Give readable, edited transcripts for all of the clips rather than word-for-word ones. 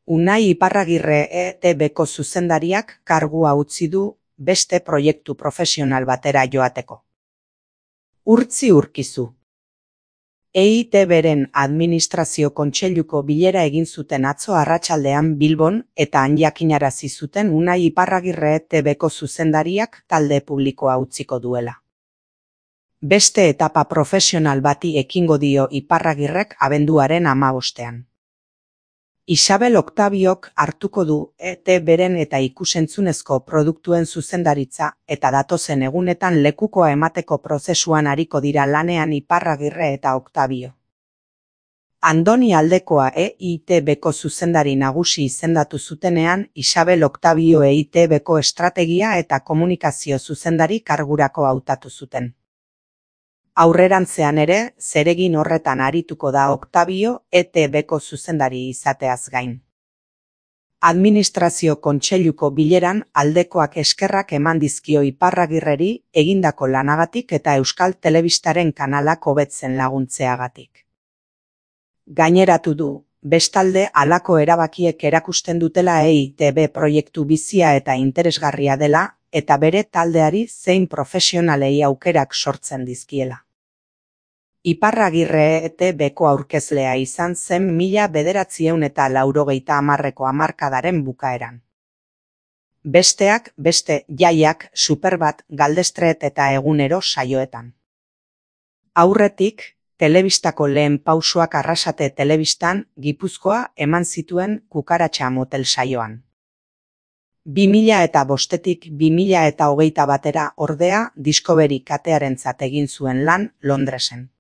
Unai Iparragirre ETBko zuzendariak kargua utzi du beste proiektu profesional batera joateko. Urtzi Urkizu. EITBren administrazio kontseiluko bilera egin zuten atzo arratsaldean Bilbon eta han jakinarazi zuten Unai Iparragirre ETBko zuzendariak talde publikoa utziko duela. Beste etapa profesional bati ekingo dio Iparragirrek abenduaren 15ean. Isabel Octaviok hartuko du ETBren eta ikusentzunezko produktuen zuzendaritza eta datozen egunetan lekukoa emateko prozesuan ariko dira lanean Iparragirre eta Octavio. Andoni Aldekoa EITBko zuzendari nagusi izendatu zutenean Isabel Octavio EITBko estrategia eta komunikazio zuzendari kargurako hautatu zuten. Aurrerantzean ere, zeregin horretan arituko da Octavio ETBko zuzendari izateaz gain. Administrazio kontseiluko bileran Aldekoak eskerrak eman dizkio Iparragirreri egindako lanagatik eta Euskal Telebistaren kanalak hobetzen laguntzeagatik. Gaineratu du, bestalde halako erabakiek erakusten dutela EITB proiektu bizia eta interesgarria dela eta bere taldeari zein profesionalei aukerak sortzen dizkiela. Iparragirre ETBko aurkezlea izan zen 1980ko hamarkadaren bukaeran. Besteak beste Jaiak, Superbat, Galdestret eta Egunero saioetan. Aurretik, telebistako lehen pausoak Arrasate Telebistan, Gipuzkoa eman zituen Kukaratxa motel saioan. 2005tik 2021 ordea Discovery katearentzat egin zuen lan Londresen.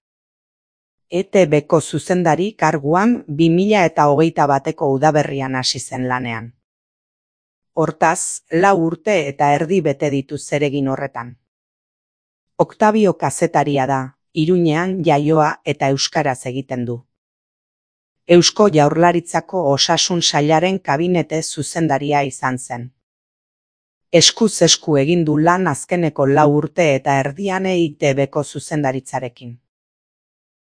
ETBko zuzendari karguan 2021ko udaberrian hasi zen lanean. Hortaz, 4 urte eta erdi bete ditu zeregin horretan. Octavio kazetaria da, Iruñean jaioa eta euskaraz egiten du. Eusko Jaurlaritzako Osasun Sailaren kabinete zuzendaria izan zen. Eskuz esku egin du lan azkeneko 4 urte eta erdian EITBko zuzendaritzarekin.